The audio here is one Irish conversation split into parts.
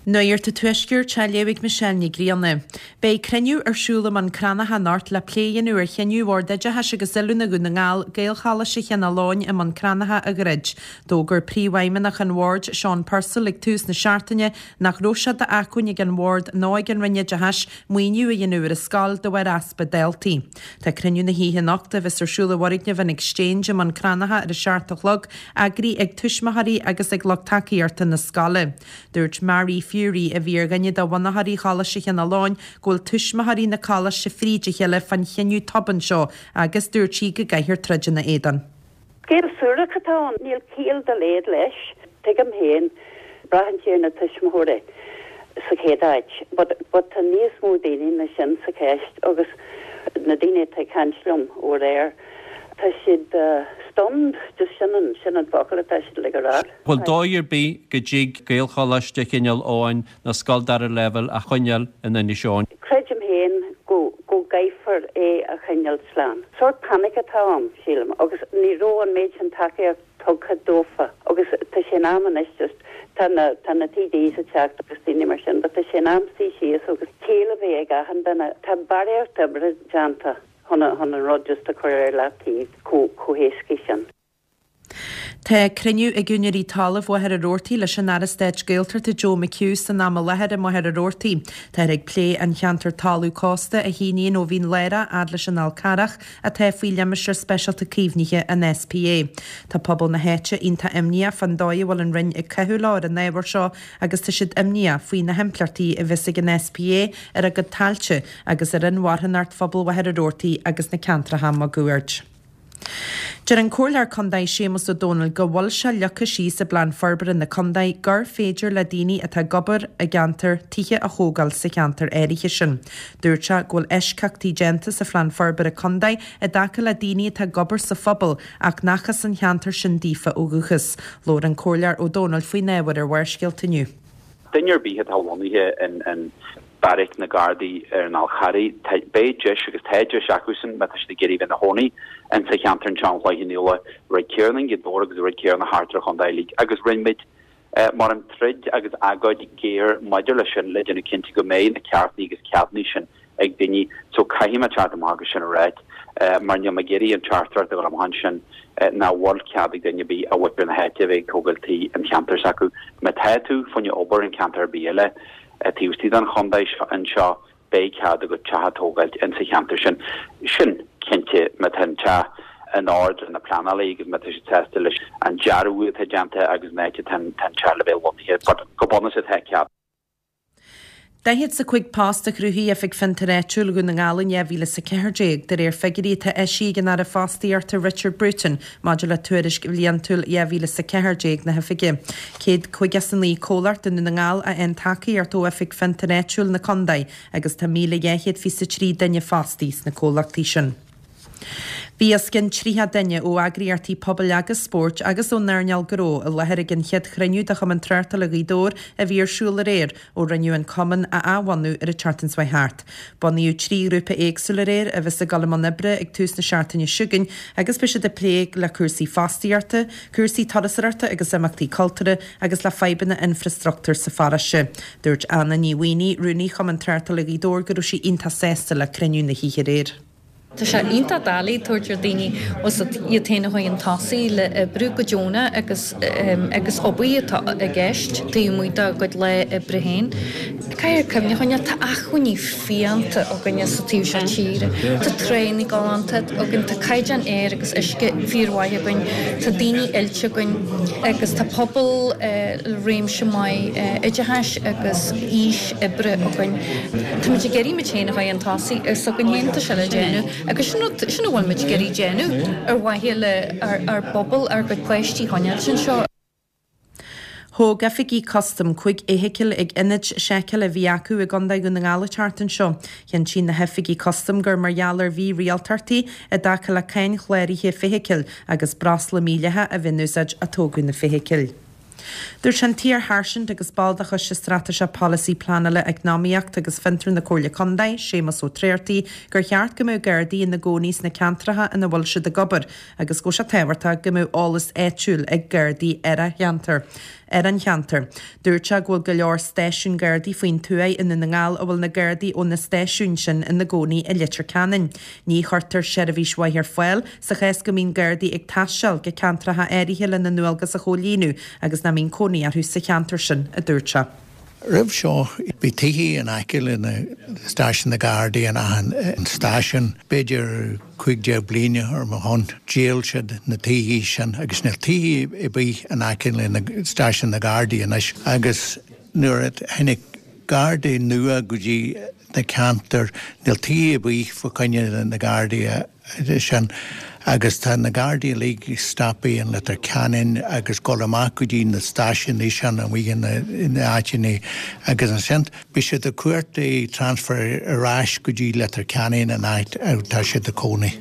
Nuacht an Tuaiscirt á léamh ag Michelle Ní Ghrianna. Beidh cruinniú ar siúl i mBun Cranncha anocht le plé a dhéanamh ar chinneadh Bhord Oideachais agus Oiliúna Dhún na nGall Gaelcholáiste Chineál Eoghain i mBun Cranncha a dhruid. D'fhógair Príomhfheidhmeannach an Bhoird, Seán Purcell, ag tús na seachtaine nach raibh sé d'acmhainn ag an Bhord ná ag an Roinn Oideachais maoiniú a dhéanamh ar an scoil de bharr easpa daltaí. Tá cruinniú na hoíche anocht, a bheas ar siúl i bhfoirgneamh an Exchange i mBun Cranncha ar a 7 a chlog, eagraithe ag tuismitheoirí agus ag lucht tacaíochta na scoile. Dúirt Mary Furey, a bhí ar dhuine de bhunaitheoirí Choláiste Chineál Eoghain, go bhfuil tuismitheoirí na coláiste fríd a chéile fán chinneadh tobann seo agus dúirt sí go gcaithfear troid ina éadan. Scéal suarach atá ann, níl ciall dá laghad leis. Tuigim féin, braitheann sé ar na tuismitheoirí sa chéad áit, but but tá níos mó daoine ná sin sa cheist agus na daoine atá ag caint liom ó aréir, tá siad stunned, just sin an sin an focal atá siad uilig a rá. Bhfuil dóigh ar bith go dtig Gaelcholáiste Chineál Eoghain nó scoil dara leibhéal a choinneáil in Inis Eoghain? Creidim féin go go gcaithfear é a choinneáil slán. Sórt panic atá ann, sílim, agus ní raibh an méid sin tacaíocht tugtha dófa agus tá sé in am anois just, tá na tá na TDs ag teacht agus daoine mar sin but tá sé in am suí síos agus ciall a bheith ag achan duine. Tá barraíocht oibre déanta chun chun an rud just a chur ar leataobh chomh chomh héasca sin. Tá cruinniú ag úinéirí talaimh Mhachaire Rabhartaigh leis an Aire Stáit Gaeltachta Joe McHugh san am i láthair i Machaire Rabhartaigh. Táthar ag plé an cheantar talamh cósta a shíníonn ó Bhinn Lárach fhad leis an Fhál Carrach atá faoi Limistéar Speisialta Caomhnaithe an SPA. Tá pobal na háite iontach imníoch fán dóigh a bhfuil an Roinn ag caitheamh leo ar an ábhar seo agus tá siad imníoch faoi na himpleachtaí a bheas ag an SPA ar a gcuid tailte agus ar inmharthanacht phobal Mhachaire Rabhartaigh agus na ceantracha máguaird. Deir an Comhairleoir Contae Séamus Ó Domhnaill go bhfuil sé leagtha síos i bPlean Forbartha na Contae gur féidir le daoine atá ag obair i gceantar tithe a thógáil sa cheantar áirithe sin. Dúirt sé go bhfuil eisceachtaí déanta sa Phlean Forbartha Contae i dtaca le daoine atá ag obair sa phobal ach nach as an cheantar sin daofa ó dhúchas. Labhair an Comhairleoir Ó Domhnaill faoin ábhar ar Bharrscéalta inniu. Duine ar bith atá lonnaithe in beairic na Gardaí ar an Fhál Charraigh, beidh deis agus tá deis acusan má tá siad ag iarraidh bheith ina chónaí in sa cheantar anseo an Chloich Cheann Fhaola, rud céanna i nGaoth Dobhair agus rud céanna thart ar an chontae uilig. Agus rinne muid mar an troid agus agóid géar maidir leis sin le déanamh cinnte go mbeidh na ceartanna agus ceadanna sin ag daoine so caithfidh mé teacht amach agus sin a ráit mar níl mé ag iarraidh an teachtaireacht a dhul amach ansin nach bhfuil cead ag duine ar bith ó mhuintir na háite a bheith ag tógáil tí an cheantar s'acu. Má tá tú fá choinne obair in ceantar ar bith eile taobh istigh den chontae anseo beidh cead agat teach a tógáilt in sa cheantar sin. Sin cinnte má tá an teach in ord le na pleanálaí agus má tá siad sásta leis an dearadh atá déanta agus an áit atá an teach le bheith lonnaithe but go bunúsach tá cead. 45 post a chruthaigh Oifig Fiontair Áitiúil Dhún na nGall in 2014, de réir figiúirí atá eisithe ag an Aire Fostaíochta Richard Bruton maidir le tuairisc bhliantúil 2014 na hOifige. 159 comhlacht i nDún na nGall a fhaigheann tacaíocht ó Oifig Fiontair Áitiúil na Contae agus tá 1,223 duine fostaithe sna comhlachtaí sin. Bhí os cionn 30 duine ó eagraíochtaí pobail agus spóirt agus ón earnáil gnó i láthair ag an chéad chruinniú de Chumann Tráchtála Ghaoth Dobhair a bhí ar siúl aréir ó rinneadh an cumann a athbhunú ar an tseachtain seo thart. Bunaíodh 3 ghrúpa éagsúil aréir a bheas ag dul i mbun oibre ag tús na seachtaine seo chugainn agus beidh siad ag plé le cúrsaí fostaíochta, cúrsaí turasóireachta agus imeachtaí cultúrtha agus le fadhbanna infreastruchtúir sa pharóiste. Dúirt Anna Ní Mhaonaigh, Rúnaí Chumann Tráchtála Ghaoth Dobhair go raibh sí iontach sásta le cruinniú na hoíche aréir. Tá sé iontach doiligh tabhairt ar daoine iad féin a chur chun tosaigh le oibriú go deonach agus agus obair atá i gceist taobh amuigh dá gcuid lá oibre féin. Caithfear cuimhne a choinneáil, tá acmhainní fiánta againne sa taobh seo tíre. Tá tránna galánta againn, tá caighdeán aeir agus uisce fíormhaith againn, tá daoine oilte againn agus tá pobal le réimse maith oideachais agus aois oibre againn. Táimid ag iarraidh muid féin a chur chun tosaigh, is againn féin atá sé le déanamh agus sin rud, sin a bhfuil muid ag iarraidh déanamh ar mhaithe le ár bpobal, ár gcuid páistí a choinneáilt anseo. Thóg oifigigh custaim 5 fheithicil ag ionad seiceála a bhí acu i gContae Dhún na nGall an tseachtain seo. Chinntigh na hoifigigh custaim gur mar gheall ar mhírialtachtaí i dtaca le cáin chláraithe feithicle agus breosla mídhleathach a bheith in úsáid a tógadh na feithicil. Dúirt an t-iar-sháirsint agus ball de Choiste Straitéiseach Polasaí Pleanála Eacnamaíochta agus Fiontar na Comhairle Contae, Séamus Ó Tráchtaigh, gur cheart go mbeadh Gardaí ina gcónaí sna ceantracha ina bhfuil siad ag obair agus go bhfuil sé tábhachtach go mbeadh eolas áitiúil ag Gardaí ar a cheantar. ar an cheantar. Dúirt sé go bhfuil go leor stáisiún Gardaí faoin tuath i nDún na nGall a bhfuil na Gardaí ó na stáisiúin sin ina gcónaí i Leitir Ceanainn. Ní chuirtear seirbhís mhaith ar fáil sa chás go mbíonn Gardaí ag taisteal go ceantracha áirithe lena ndualgas a chomhlíonadh agus nach mbíonn cónaí orthu sa cheantar sin, a dúirt sé. Roimh seo bhí tithe in aice le na stáisiún na Gardaí in achan stáisiún. B'fhéidir 15 bliain ar mo shon dhíol siad na tithe sin agus níl tithe ar bith in aice le na stáisiún na Gardaí anois agus nuair a tháinig Gardaí nua go dtí na ceantair níl tithe ar bith fá choinne na Gardaí sin agus tá na Gardaí uilig stoptha in Leitir Ceanainn agus dul amach go dtí na stáisiúin sin amuigh in na áiteanna agus ansin beidh siad ag cuartú transfer ar ais go dtí Leitir Ceanainn an áit a tá siad ag cónaí.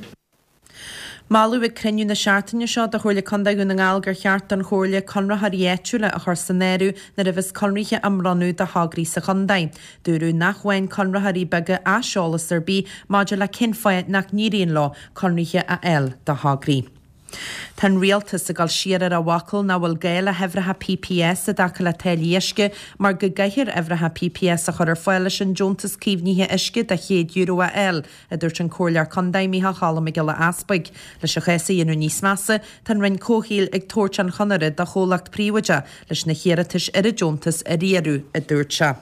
Moladh ag cruinniú na seachtaine seo de Chomhairle Contae Dhún na nGall gur cheart don Chomhairle conraitheoirí áitiúla a chur san áireamh nuair a bheas conraithe á mbronnadh do thograí sa chontae. Dúradh nach bhfaigheann conraitheoirí beaga aiseolas ar bith maidir le cén fáth nach n-éiríonn leo conraithe a fháil do thograí. Tá an Rialtas ag dul siar ar a bhfocal nach bhfuil gá le huimhreacha PPS i dtaca le táillí uisce mar go gcaithfear uimhreacha PPS a chur ar fáil leis an Deontas Caomhnaithe Uisce de €100 a fháil, a dúirt an Comhairleoir Contae Micheál Cholm Mac Giolla Easpaig. Leis an chás a dhéanamh níos measa, tá an Roinn Comhshaoil ag tabhairt an chonaire do chomhlacht príobháideach leis na hiarratais ar an deontas a riaradh, a dúirt sé.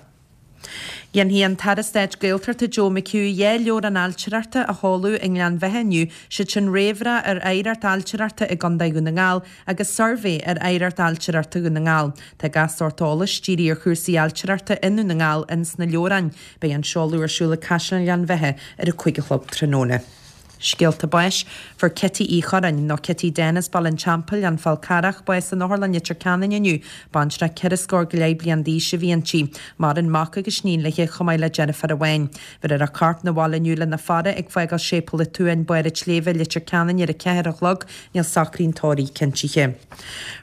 Dhéanfaidh an tAire Stáit Gaeltachta Joe McHugh 2 leabhrán ailtireachta a sheoladh i nGleann Bheatha inniu, siad sin Réamhrá ar Oidhreacht Ailtireachta i gContae Dhún na nGall agus Suirbhé ar Oidhreacht Ailtireachta Dhún na nGall. Tá gach sórt eolais dírithe ar chúrsaí ailtireachta i nDún na nGall ins na leabhráin. Beidh an seoladh ar siúl ag Caisleán Ghleann Bheatha ar a 5 a chlog tráthnóna. Scéalta báis, Fuair Kitty Uí Churráin, nó Kitty Dennis, Baile an Teampaill, An Fál Carrach, bás in Otharlann Leitir Ceanainn inniu. Baintreach ceithre scór go leith bliain d'aois a bhí inti. Maireann mac agus iníon léi, chomh maith le deirfiúr amháin. Bhéarfar a corp 'na bhaile inniu lena faire ag fágáil Séipéal an tSuain, Barr an tSléibhe, Leitir Ceanainn ar a 4 a chlog. Níl socraí an tórraimh cinntithe.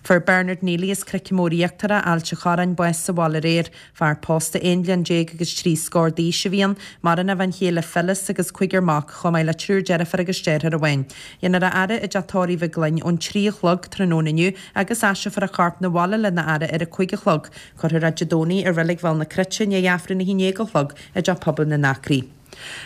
Fuair Bernard Neely as Cnoic Mór Íochtarach, Ailt an Chorráin, bás sa bhaile aréir. Fear pósta 11 bliain agus 3 scór d'aois a bhí ann, maireann a bhean chéile Phyllis agus cúigear mac, chomh maith le triúr deirfiúr agus deartháir amháin. Dhéanfar a fhaire i dteach tórraimh Mhic Gloinn ón 3 a chlog tráthnóna inniu agus aistreofar a chorp 'na bhaile lena fhaire ar a 5 a chlog. Cuirfear é Dé Domhnaigh i Reilig Bhéal na Cruite i ndiaidh Aifreann a 11 a chlog i dTeach Pobail na nAcraí.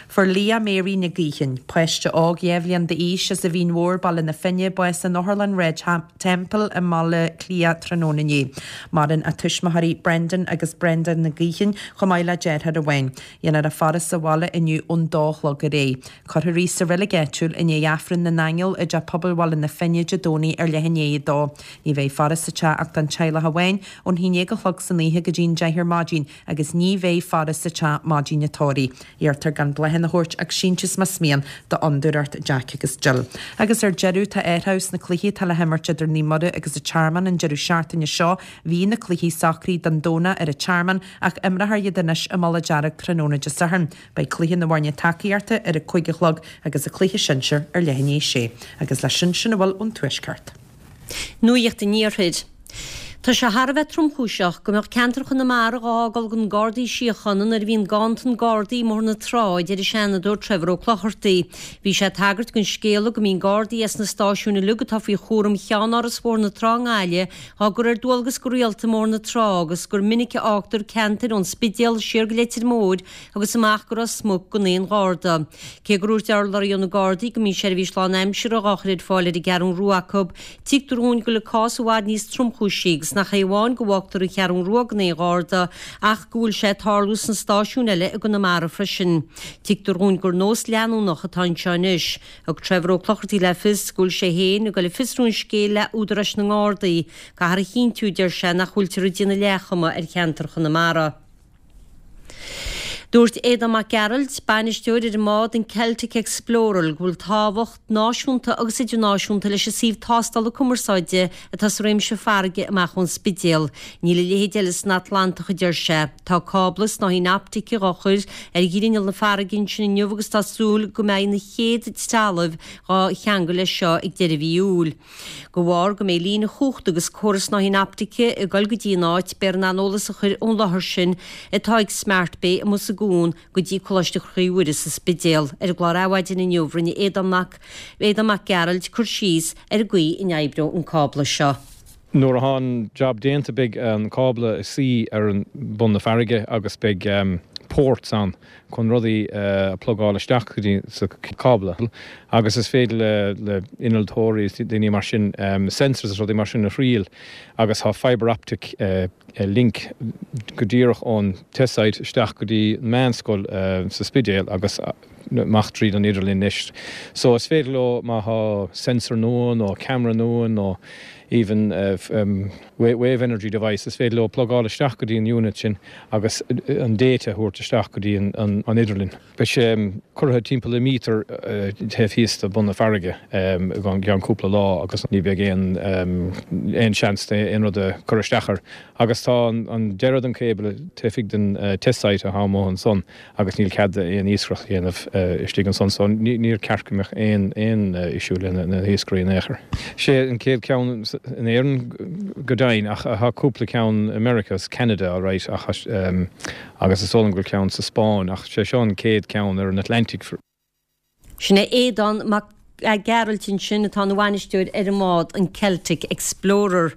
Fuair Leah Mary Nic Gaoithín, páiste óg 2 bhliain d'aois as an Mhín Mhór, Baile na Finne, bás in Otharlann Shráid Temple i mBaile Átha Cliath tráthnóna inné. Maireann a tuismitheoirí Brendan agus Brenda Nic Gaoithín chomh maith le deartháir amháin. Dhéanfar a faire sa bhaile inniu ón dó a chlog ar aghaidh. Cuirfear í sa reilig áitiúil i ndiaidh Aifreann na nAingeal i dTeach Pobail Bhaile na Finne Dé Domhnaigh ar leath i ndiaidh a dó. Ní bheidh faire sa teach ach don teaghlach amháin ón haon déag a chlog san oíche go dtí an deich ar maidin agus ní bheidh faire sa teach maidin an tórraimh. Iarrtar gan bláthanna a thabhairt ach síntiús más mian d'Fhondúireacht Jack agus Jill. Agus ar deireadh, tá athrú sna cluichí atá le himirt idir Naomh Muire agus an Tearmann an deireadh seachtaine seo. Bhí na cluichí socraithe don Domhnach ar an Tearmann ach imreofar iad anois i Mullach Dearg tráthnóna Dé Sathairn. Beidh cluiche na bhfoirne tacaíochta ar a 5 a chlog agus an cluiche sinsir ar leath i ndiaidh a sé. Agus leis sin, sin a bhfuil ón Tuaisceart. Nuacht an Iarthair. Tá sé thar a bheith tromchúiseach go mbeadh ceantar Chonamara dhá fhágáil gan Gardaí Síochána nuair a bhíonn ganntan Gardaí i mBóthar na Trá, a deir an Seanadóir Trevor Ó Clochartaigh. Bhí sé ag tagairt don scéala go mbíonn Gardaí as na stáisiúin uilig atá faoi chúram Cheann-Áras Bhóthar na Trá i nGaillimh dhá gcur ar dualgas go rialta i mBóthar na Trá agus gur minic a fhágtar ceantair ón Spidéal siar go Leitir Móir agus amach go Ros Muc gan aon Gharda. Cé gur dhúirt urlabhraí ó na Gardaí go mbíonn seirbhís lánaimseartha dhá chur ar fáil ar an gCeathrún Rua acu, tuigtear dhúinn go bhfuil an cás i bhfad níos tromchúisí agus nach é amháin go bhfágtar an Cheathrún Rua gan aon Gharda ach go bhfuil sé ag tarlú sna stáisiúin eile i gConamara freisin. Tuigtear dhúinn gur nós leanúnach atá anseo anois. Thug Trevor Ó Clochartaigh le fios go bhfuil sé féin ag dul ag fiosrú an scéil le údaráis na nGardaí. Caithfear a chinntiú, a deir sé, nach bhfuiltear ag déanamh leathchuma ar cheantar Chonamara. Dúirt Aodán Mac Gearailt, bainisteoir ar an mbád an Celtic Explorer, go bhfuil tábhacht náisiúnta agus idirnáisiúnta leis an suíomh tástála cumarsáide atá sa réimse farraige amach ón Spidéal. Níl a leithéid eile san Atlantach, a deir sé. Tá cábla snáithín optaice dhá chur ar ghrinneall na farraige ansin inniu agus tá súil go mbeidh na chéad trealaimh dhá cheangal leis seo ag deireadh mhí Iúil. De bharr go mbeidh líne chumhachta agus córas snáithín optaice ag dul go dtí an áit, beifear in ann eolas a chur ón láthair sin atá ag Smart Bay amuigh sa gcuan go dtí Coláiste Chroí Mhuire sa Spidéal. Ar an gclár Adhmhaidin inniu rinne Aodán Mac Aodán Mac Gearailt cur síos ar an gcaoi a n-oibreoidh an cábla seo. Nuair atá an jab déanta beidh an cábla ag suí ar bun na farraige agus beidh ports ann chun rudaí a plugáil isteach go dtí sa cábla agus is féidir le le innealtóirí is daoine mar sin sensors is rudaí mar sin a thriail agus tá fibre optic link go díreach ón test site isteach go dtí an meánscoil sa Spidéal agus amach tríd an idirlíon anois. So is féidir leo má thá sensor nua nó camera nua nó even wave energy device is féidir leo plugáil isteach go dtí an unit sin agus an data a thabhairt isteach go dtí an idirlíon. Beidh sé curtha timpeall le míotar taobh thíos de bun na farraige i gceann cúpla lá agus ní bheidh aon aon seans aon rud a chur isteach air. Agus tá an deireadh den cable taobh thiar den test site atá amuigh ansan agus níl cead aon iascaireacht a dhéanamh istigh ansan so níor ceart go mbeadh aon aon issue le na hiascairí in aon chor. Sé an chéad ceann in Éirinn go deimhin ach tá cúpla ceann i Meiriceá is Ceanada alright ach agus is dóigh liom go bhfuil ceann sa Spáinn ach sé seo an chéad ceann ar an Atlantic. Sin é Aodán Mac Gearailt ansin atá ina bhainisteoir ar an mbád an Celtic Explorer.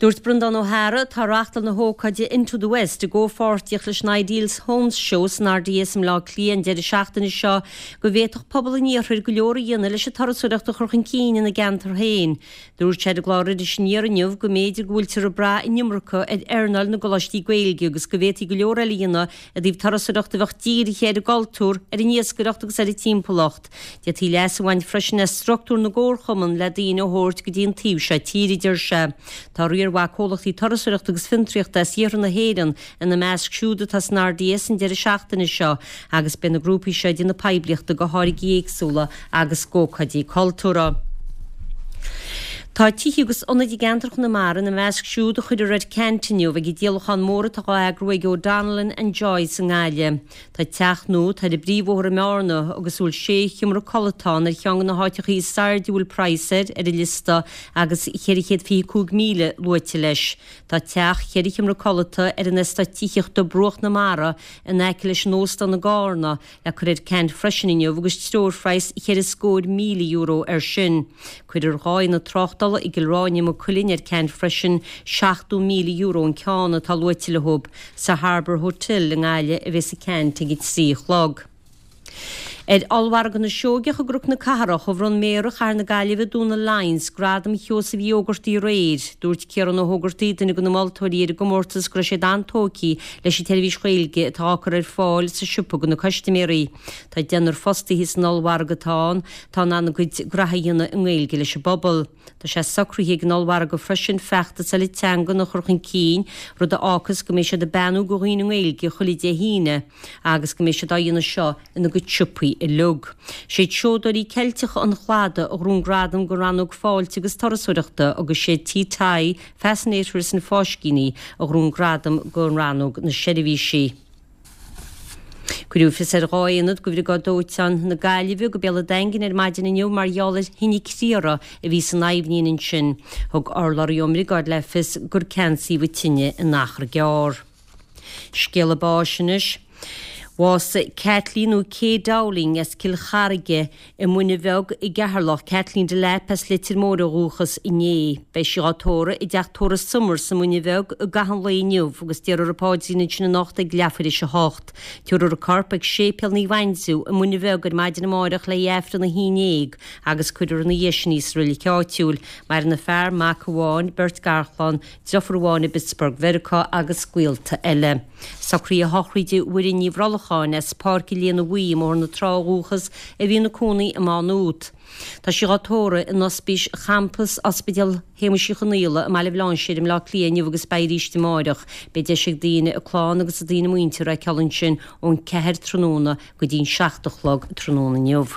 Dúirt Breandán Ó hEára, atá ag reáchtáil na hócáide Into the West i gcomhpháirtíocht leis an Ideals Homes Show san RDS i mBleá Cliath an deireadh seachtaine seo, go bhféadfadh pobal an iarthair go leor a dhéanamh leis an turasóireacht a chur chun cinn ina gceantar féin. Dúirt sé ar an gclár Iris Aniar inniu go mb'fhéidir go bhfuiltear ag brath an iomarca ar earnáil na gcoláistí Gaeilge agus go bhféadfaí go leor eile a dhéanamh i dtaobh turasóireacht a bheadh dírithe ar an gcultúr, ar an iascaireacht agus ar an timpeallacht. D'fhéadfaí leas a bhaint freisin as struchtúr na gcomharchumann le daoine a thabhairt go dtí an taobh seo tíre, a deir sé. Tá riar mhaith comhlachtaí turasóireachta agus fiontraíochta as iarthar na hÉireann ina measc siúd atá san RDS an deireadh seachtaine seo agus beidh na grúpaí seo ag déanamh poiblíochta do tháirgí éagsúla agus d'ócáidí cultúrtha. Tá tithe agus ionaid i gceantar Chonamara ina measc siúd a chuirfear ar ceant inniu ag an díolachán mór atá á eagrú ag O'Donnellan and Joyce i nGaillimh. Tá teach nua atá ar an bpríomhbhóthar i mBearna agus a bhfuil sé sheomra codlata ann ar cheann de na háiteachaí is airde a bhfuil praghas air ar an liosta agus 425,000 luaite leis. Tá teach cheithre sheomra codlata ar an eastát tithíochta Bruach na Mara in aice leis an óstán i gCarna le cur ar ceant freisin inniu agus treoirphraghas cheithre scór €1,000 air sin. Cuirfear 2 ionad tráchtála i gCill Ráine Maigh Cuilinn ar ceant freisin, €70,000 an ceann atá luaite leo. Sa Harbour Hotel i nGaillimh a bheas an ceant ag a 3 a chlog. Ar Ollmhargadh na Seoigeach i gCnoc na Cathrach, a bhronn Méara Chathair na Gaillimhe Dónal Lyons Gradam Sheosaimh Uí Ógartaigh aréir. Dúirt Ciarán Ó hÓgartaigh, duine de na moltóirí ar an gcomórtas, go raibh siad an-tógtha leis an tseirbhís Ghaeilge atá á cur ar fáil sa siopa do na custaiméirí. Tá deichniúr fostaithe san ollmhargadh atá ann atá in ann a gcuid graithe a dhéanamh i nGaeilge leis an bpobal. Tá sé socraithe ag an ollmhargadh freisin feachtas eile teangan a chur chun cinn, rud a fhágfas go mbeidh siad ag beannú do dhaoine i nGaeilge chuile Dé hAoine agus go mbeidh siad á dhéanamh seo ina gcuid siopaí uilig. Siad Seodóirí Ceilteacha an Chladaigh a ghnóthaigh an gradam don rannóg Fáilte agus Turasóireachta agus siad Tí Tadhg, Fascinators and Fáiscíní a ghnóthaigh an gradam don rannóg na Seirbhísí. Cuireadh fios ar 2 aonad de Bhriogáid Dóiteáin na Gaillimhe go Béal an Daingin ar maidin inniu mar gheall ar thine criathair a bhí san aibhnín ansin. Thug urlabhraí ón mbriogáid le fios gur ceansaíodh an tine in achar gearr. Scéala báis anois. Bhásaigh Kathleen nó Kay Dowling as Cill Charraige i Muine Bheag i gCeatharlach, Kathleen Delap as Leitir Móir ó dhúchas, inné. Beidh sí á tórramh i dteach tórraimh Somers sa Muine Bheag i gcaitheamh an lae inniu agus déarfar an paidrín ansin anocht ag leathuair théis a hocht. Tabharfar a corp ag Séipéal Naomh Aindriú i Muine Bheag ar maidin amáireach le haghaidh Aifreann a haon déag agus cuirfear ina dhiaidh sin í sa reilig áitiúil. Maireann a fear, mac amháin, beirt garchlann, Deirfiúr amháin i bPittsburgh Mheiriceá agus gaolta eile. Socruithe sochraide Mhuireann Ní Bhrolcháin as Páirc an Léana Bhuí i mBóthar na Trá ó dhúchas a bhí ina cónaí i Má Nuat. Tá sí dhá tórramh in Ospís Champas Ospidéal Shéamuis Uí Chonaola i mBaile Bhlainséir i mBleá Cliath inniu agus beidh arís amáireach. Beidh deis ag daoine a clann agus a daoine muinteartha a fheiceáil ansin ón 4 tráthnóna go dtí'n 7 a chlog tráthnóna inniu.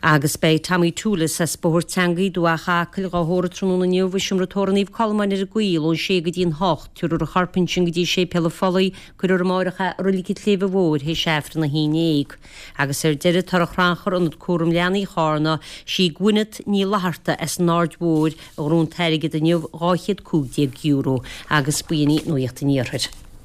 Agus beidh Tommy Toolis as Bóthar Teangaí, Dumhach Acaill, dhá thórramh tráthnóna inniu i seomra tórraimh Naomh Colmáin ar an gCoill ón sé go dtí an hocht. Tabharfar a chorp ansin go dtí Séipéal an Phollaigh, cuirfear amáireach é i Reilig an tSléibhe Mhóir théis Aifreann a haon déag. Agus ar deireadh, Tora Chrannchur, Ionad Cúram Leanaí Chárna, sí Gwyneth Ní Fhlatharta as an Aird Mhóir a ghnóthaigh an t-airgead inniu, €215, agus b'in í Nuacht an Iarthair.